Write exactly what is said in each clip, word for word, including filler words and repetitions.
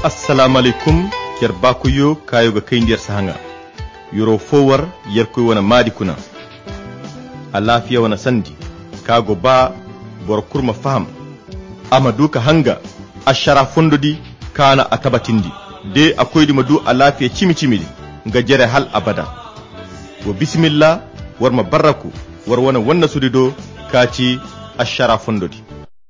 Assalaamu alaykum. Yer baakoyyo kaayo ga kayndi yer si haŋa. Yer'o fo war yerkoy wane maadi kuna. Alaafiya wane sandi ka go ba boro kulu ma faham. A ma du ka hanga ašara fondo di kaana a tabatindi. De a koydi ma du alaafiya cimi-cimi di nga jere hal abada. Wa bisimilla, war ma barraku war wane wannasudi do ka ci ašara fondo di.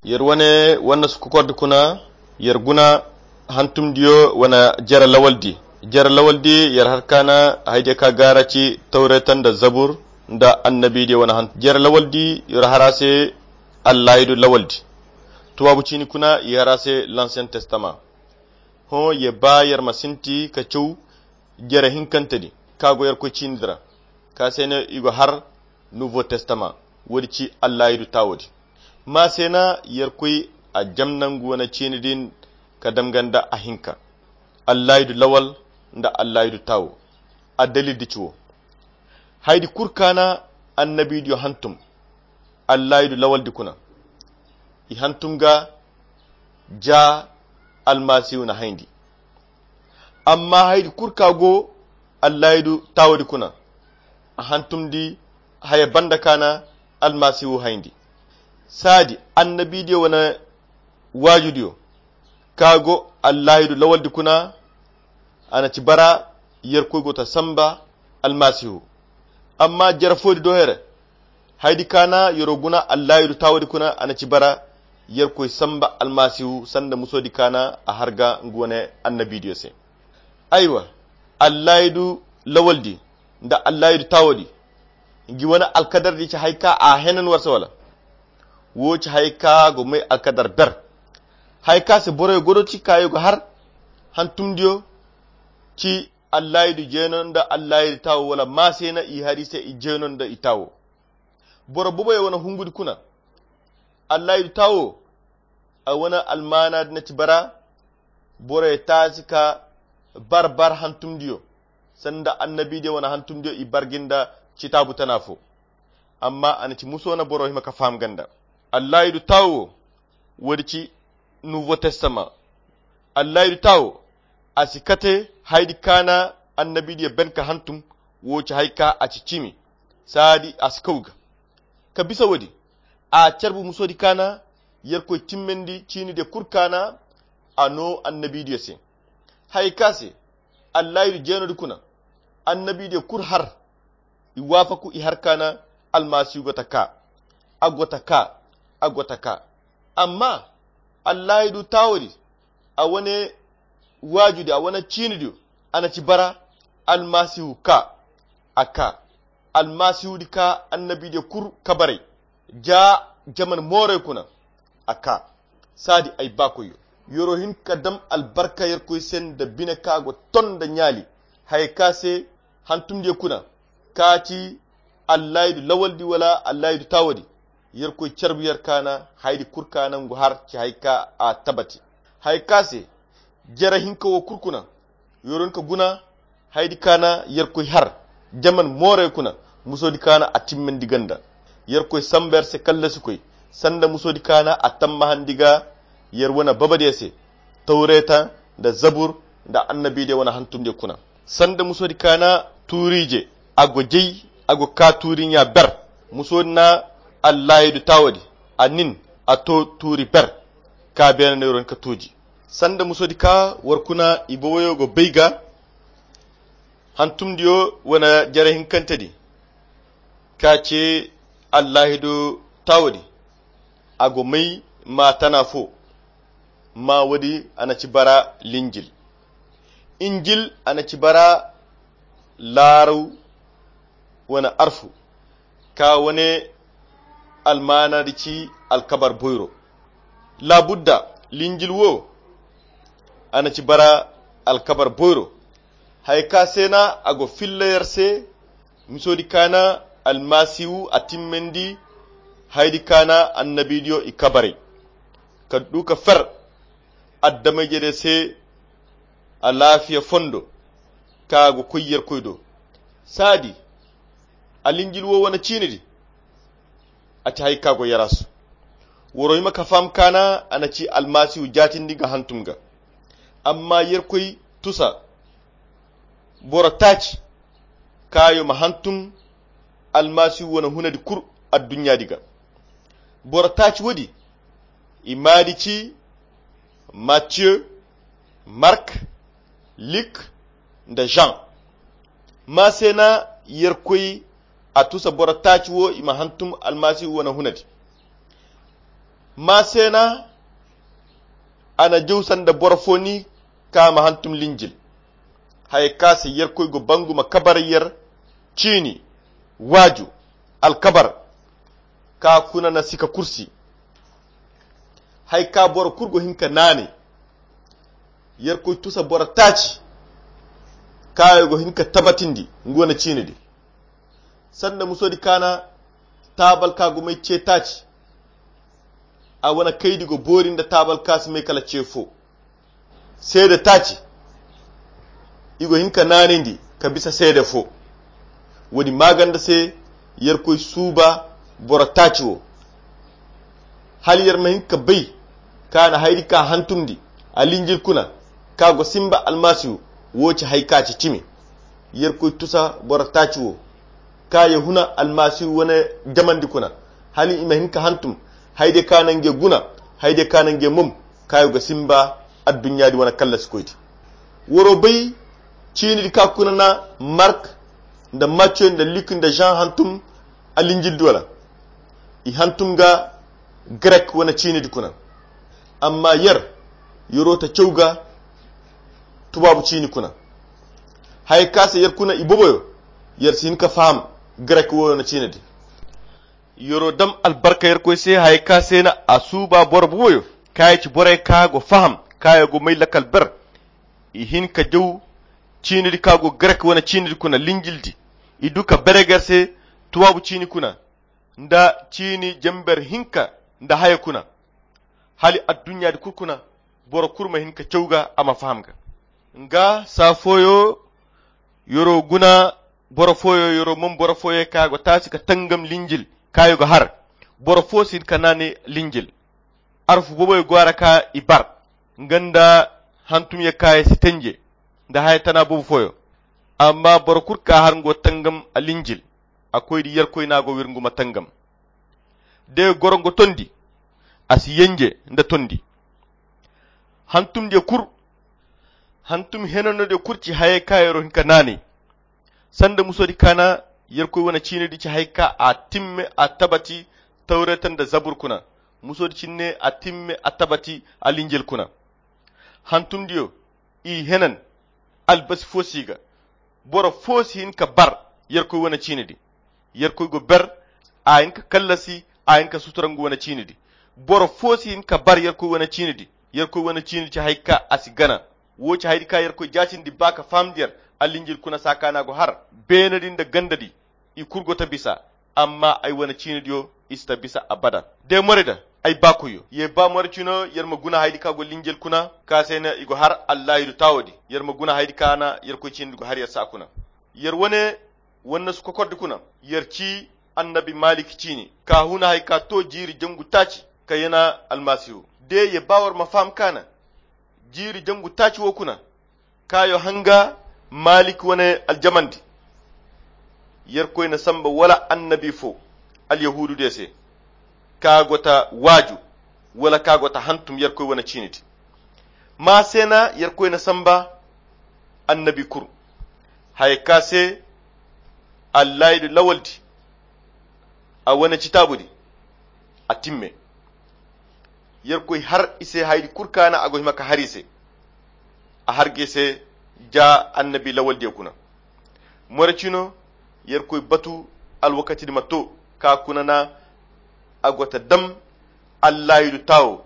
Yer wane wannasu kokordi kuna, yer guna hantumdiyo wane jere lawaldi. Jere lawaldi yer har kaana haydiyo ka gaara ci tawreta nda zabur nda annabidiyo wane hantum. Jere lawaldi yer har a se allaahidu lawaldi. Tubaabu ciini kuna i har a se l'ancien testament. Hõ ye ba yer ma sinti ka caw jere hinkante di ka go yerkoy ciini di ra ka se no i go har nouveau testament. Woodi ci allaahidu taawo di. Ma se na yerkoy a jam nangu wane ciini din ka damga nda a hinka allaahidu lawal nda allaahidu taawo. Addalil di ci wo. Haydi kulu kaana annabidiyo hantum allaahidu lawaldi kuna i hantum ga ja almasihu na hayndi. Amma haydi kulu ka go allaahidu taawodi kuna a hantumdi haya banda kaana almasihu hayndi. Saadi annabidiyo wane waajudiyo ka go allaahidu lawaldi kuna a na ci bara yerkoy go ta samba almasihu. Amma jere foodi do here haydi kaana yer'o guna allaahidu taawodi kuna a na ci bara yerkoy samba almasihu sanda musoodi kaana a har ga nga wane annabidiyo se. Aywa, allaahidu lawaldi nda allaahidu taawodi ngi wane alkadardi ci hay ka a henan war se wala? Wo ci hay ka go may alkadar ber. Hay ka se boroyo godo ci ka yo go har hantumdiyo ci allaahidu jeeno nda allaahidu taawo wala ma se na i hari se i jeeno nda i taawo. Boro boboyo wane hungudi kuna allaahidu taawo a wane almaana di na ci bara boroyo taasi ka bar bar hantumdiyo sanda annabidiyo wane hantumdiyo i bargi nda citaabu tana fo. Amma a na ci muso na boro hima ka faham ganda allaahidu taawo wo woodi ci nouveau testament. Allaahidu taawo a si kate haydi kaana annabidiyo ben ka hantum. Wo ci hay ka a ci cimi saadi a si kaw ga ka bisa woodi a carbu musoodi kaana yerkoy timmandi ciinidiyo kulu kaana a no annabidiyo se. Hay ka se allaahidu jeenodi kuna annabidiyo kulu har i waafaku i har kaana almasihu go ta ka a go ta ka a go ta ka. Amma allaahidu taawodi a wane waajudi a wane ciinidiyo a na ci bara almasihu ka a ka almasihu di ka annabidiyo kulu kabaray ja jaman mooray kuna a ka. Saadi ay baakoyyo yer'o hin ka dam albarka yerkoy se nda bine ka go ton nda ɲaali haya ka se hantumdiyo kuna ka ci allaahidu lawaldi wala allaahidu taawodi yerkoy carbu yer kaana haydi kulu kaana ngu har ci hay ka a tabati. Hay ka se jere hinka wo kulu kuna yer'o hin ka guna haydi kaana yerkoy har jaman mooray kuna musoodi kaana a timmandi ganda yerkoy samba yer se kallasikoy sanda musoodi kaana a tammahandi ga yer wane babadiyo se tawreta nda zabur nda annabidiyo wane hantumdiyo kuna. Sanda musoodi kaana tuuriije a go jay a go ka tuuri ɲa ber. Musoodi na allaahidu taawodi a nin a to tuuri ber ka beene no yer'o hin ka tuuji. Sanda musoodi ka war kuna i boboyo go bay ga hantumdiyo wane jere hinkante di ka ce allaahidu taawodi a go may ma tana fo. Ma woodi a na ci bara linjil injil a na ci bara laaraw wane arfu ka wane almaana di ci alkabar boyro. Laabudda linjil wo a na ci bara alkabar boyro. Haya ka se na a go filla yer se misoodi kaana almasihu a timmandi haydi kaana annabidiyo i kabaray ka du ka fer adameyjediyo se alaafiya fondo ka go koy yerkoy do. Saadi alinjil wo wane ciini di a ci hay ka go yarasu. Woro hima ka faham kaana a na ci almasihu jaatindi nga hantum ga Amma yerkoy tusa boro taaci kaayo ma hantum almasihu wane hunadi kul adduɲɲaadi ga. Boro taaci woodi i maadi ci matiyo, mark, lik, nda jean. Maasena yerkoy a tusa boro taaci wo i ma hantum almasihu wane hunadi. Maasena a na jaw sanda boro fo ni ka ma hantum linjil. Haya ka se yerkoy go bangu ma kabar yer ciini waaju alkabar ka kuna na sika kursi. Haya ka boro kul go hin ka naanay yerkoy tusa boro taaci kaayo go hin ka tabatindi ngu wane ciini di. Sanda musoodi kaana taabal ka go may ce taaci a wane kaydi go boori nda taabal ka si may kala ce fo. Seede taaci i go hin ka naanayndi ka bisa seede fo. Woodi maaganda se yerkoy suuba boro taaci wo. Hala yer ma hin ka bay ka na hayri ka hantumndi a linjil kuna ka go simba almasihu. Wo ci hay ka ci cimi yerkoy tusa boro taaci wo ka ye huna almasihu wane jamandi kuna hala i ma hin ka hantum. Hayde ka na nge guna hayde ka na nge mom ka yo ga simba adduɲɲaadi wane kallasikoydi. Woro bay ciinidi ka kuna na mark nda maccoy nda lik nda jean hantum a linjildi wala i hantum ga grek wane ciinidi kuna. Amma yer yero ta caw ga tubaabu ciini kuna. Haya ka se yer kuna i boboyo yer si hin ka faham grek wo wane ciinidi. Yero dam albarka yerkoy se haya ka se na a suuba boro boboyo ka ya ci borey ka go faham ka ya go may lakal ber. I hin ka jaw ciinidi ka go grek wane ciinidi kuna linjildi i du ka bereger se tubaabu ciini kuna nda ciini jamber hinka nda haya kuna. Hala adduɲɲaadi kul kuna boro kul ma hin ka caw ga a ma faham ga. Nga saa fooyo yero guna boro fooyo yero mom boro fooyo ka go taasi ka tangam linjil ka yo ga har. Boro foo si hin ka naanay linjil. Arfu boboyo go a ra ka i bar nga nda hantumye ka ye si tenje nda haya tana bobo fooyo. Amma boro kul ka har ngo tangam a linjil a koydi yerkoy na go wir ngu ma tangam. De goro ngo tondi a si yenje nda tondi. Hantumdiyo kul hantum henanodiyo kul ci hayey ka yero hin ka naanay. Sanda musoodi kaana yerkoy wane ciinidi ci hay ka a timme a tabati tawreeta nda zabur kuna. Musoodi cinne a timme a tabati a linjil kuna. Hantumdiyo i henan albasi fo si ga. Boro fo si hin ka bar yerkoy wane ciinidi. Yerkoy go ber a hin ka kallasi a hin ka sutura ngu wane ciinidi. Boro fo si hin ka bar yerkoy wane ciinidi. Yerkoy wane ciinidi ci hay ka a si gana. Wo ci haydi ka yerkoy jaatindi ba ka fahamndi yer a linjil kuna saa ka na go har beenadi nda gandadi. I kul go ta bisa amma ay wane ciinidiyo i si ta bisa abada. De more da ay baakoyyo ye ba more cino yer ma guna haydi ka go linjil kuna ka se na i go har allaahidu taawodi. Yer ma guna haydi ka na yerkoy ciinidi go har yer saa kuna. Yer wane wannasu kokordi kuna yer ci annabi malik ciini ka huna hay ka to jiiri jangu taaci ka yana almasihu. De ye ba war ma faham ka na jiiri jangu taaci wo kuna kaayo hanga malik wane aljamandi. Yerkoy na samba wala annabi fo alyahuudu diyo se ka go ta waaju wala ka go ta hantum yerkoy wane ciinidi. Ma se na yerkoy na samba annabi kul haya ka se allaahidu lawaldi a wane citaabudi a timme. Yerkoy har i se haydi kul ka na a go hima ka har i se a har ga i se ja annabi lawaldiyo kuna. More cino yerkoy batu alwakatidi ma to ka kuna na a go ta dam allaahidu taawo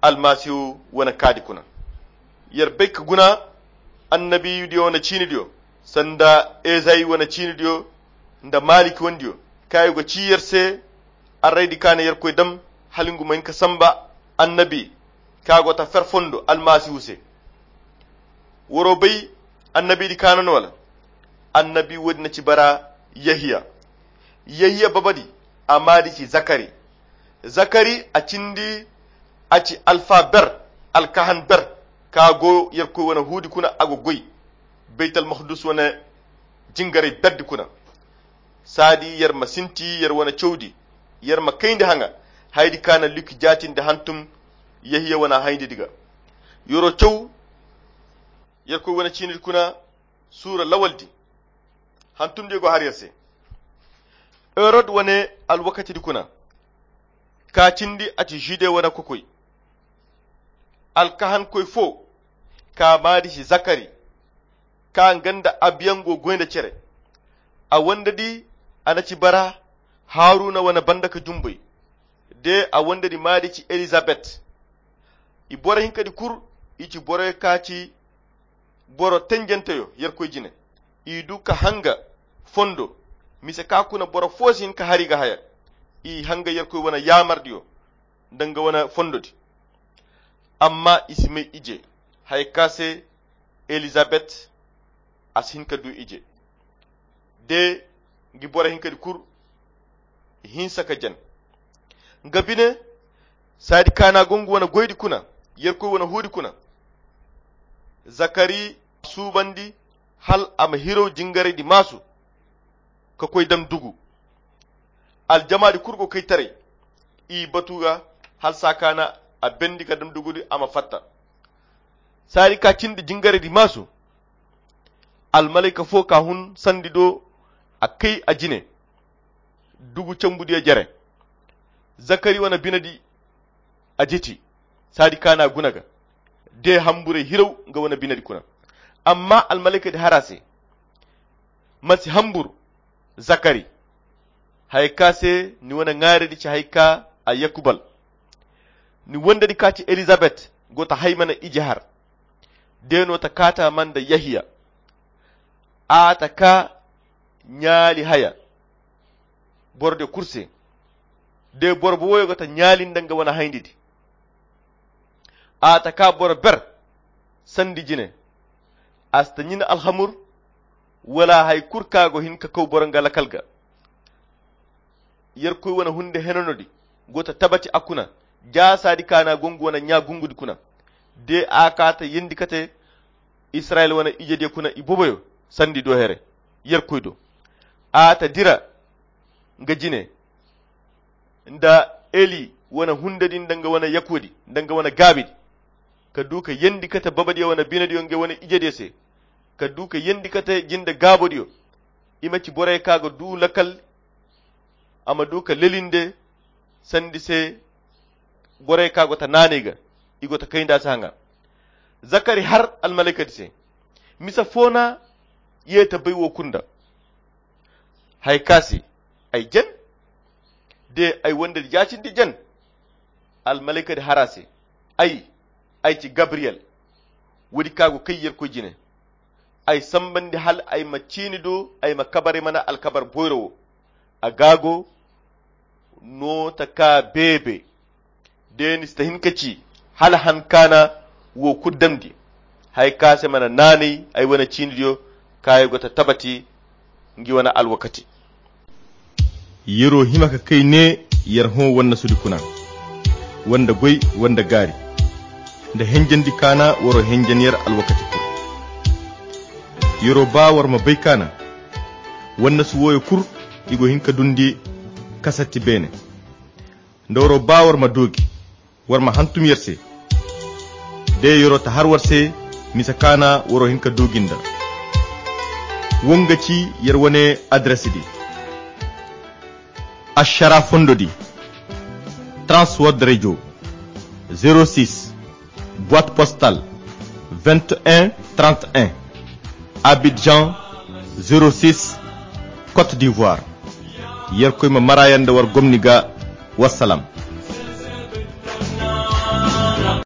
almasihu wane kaadi kuna. Yer bay ka guna annabiyu diyo wane ciini diyo sanda ezayi wane ciini diyo nda maliki wane diyo kaŋ ay go ci yer se arraydi kaŋ a na yerkoy dam hala ngu ma hin ka samba annabi kaŋ a go ta fer fondo almasihu se. Woro bay annabidi kaŋ a no no wala? Annabi woodi na ci bara yehiya. Yehiya babadi a maadi ci zakari. Zakari a cindi a ci alfa ber alkahan ber. Ka go yerkoy wane huudi kuna a go goy baytal mahdus wane jingaray berdi kuna. Saadi yer ma sinti yer wane cawdi, yer ma kayndi haŋa haydi ka na lukki jaatindi hantum yahiya wane hayndi di ga. Yero caw yerkoy wane ciinidi kuna suura lawaldi. Hantumdiyo go har yer se. Herod wane alwakatidi kuna ka cindi a ci jude wane kokoy. Alkahankoy fo ka maadi ci zakari ka nga nda abiyaŋ go goy nda cere. A wandedi a na ci bara haruna wane banda ka jumbay. De a wandedi maadi ci elizabet. I boro hinkadi kul i ci boroyo ka ci boro tenjenteyo yerkoy jine. I du ka hanga fondo mise ka kuna boro fo si hin ka hari ga haya. I hanga yerkoy wane yaamardiyo nda nga wane fondodi. Amma i si may ije haya ka se elizabet a si hin ka du ije. De ngi boro hinkadi kul i hinsa ka jen nga bine. Saadi kaana go nga wane goydi kuna yerkoy wane huudi kuna. Zakari suubandi hal a ma hiraw jingaraydi maasu ka koy dam dugu. Aljamaadi kul go kay taray i batu ga hal saa kaana a bendi ka dam dugudi a ma fatta. Saadi ka cindi jingaraydi maasu almalayka fo ka hun sandi do a kay a jine. Dugu cambudiyo jere zakari wane binedi a jeti. Saadi kaana guna ga de hamburey hiraw nga wane binedi kuna. Amma almalaykadi har a se ma si hambur zakari. Haya ka se ni wane ŋaaredi ci haya ka a yakubal. Ni wondedi ka ci elizabet go ta hay mana ije har. De no ta kaata man da yahiya a ta ka ɲaali haya. Boro de kul se de boro bo woyo go ta ɲaali nda nga wane hayndi di. A ta ka boro ber sandi jine. A si ta ɲin alhamur wala hay kul ka go hin ka kaw boro nga lakal ga. Yerkoy wane hunde henanodi go ta tabati a kuna. Jaasaadi kaana go nga wane ɲa gungudi kuna de a ka ta yendi kate israyil wane ijediyo kuna i boboyo sandi do here. Yerkoy do a ta dira nga jine nda eli wane hundedi nda nga wane yakuwadi nda nga wane gaabidi ka du ka yendi kate babadiyo wane binediyo nga wane ijediyo se ka du ka yendi kate jinde gaabodiyo. I ma ci borey ka ga du lakal a ma du ka lelinde sandi se. Borey ka go ta naanay ga i go ta kay nda se haŋa. Zakari har almalaykadi se misa fo na ye ta bay wo kunda. Hay ka se ay jen de ay wondedi jaacindi jen. Almalaykadi har a se ay ay ci gabriyel. Woodi ka go kay yerkoy jine ay sambandi hal ay ma ciini do ay ma kabar ay mana alkabar boyro wo. A gaago no ta ka beebe. De ni si ta hin ka ci hala han kaana wo kulu damndi. Hay ka se mana naanay ay wane ciinidiyo ka ay go ta tabati ngi wane alwakati. Yer'o hima ka kay ne yer hõ wannasudi kuna, wanda goy wanda gaari nda henjandi kaana war'o henjan yer alwakati kulu. Yer'o ba war ma bay kaana wannasu wooyo kulu i go hin ka dundi kasatti beene. Nda war'o ba war ma doogi war ma hantum yer se. De yer'o ta har war se misa kaana war'o hin ka doogi nda. Wo nga ci yer wane adres di. Ašara fondo di transword radio, zero six boite postal vingt et un trente et un, abidjan, zero six, côte d'ivoire. Yerkoy ma mara yanda war gomni ga. Wassalam.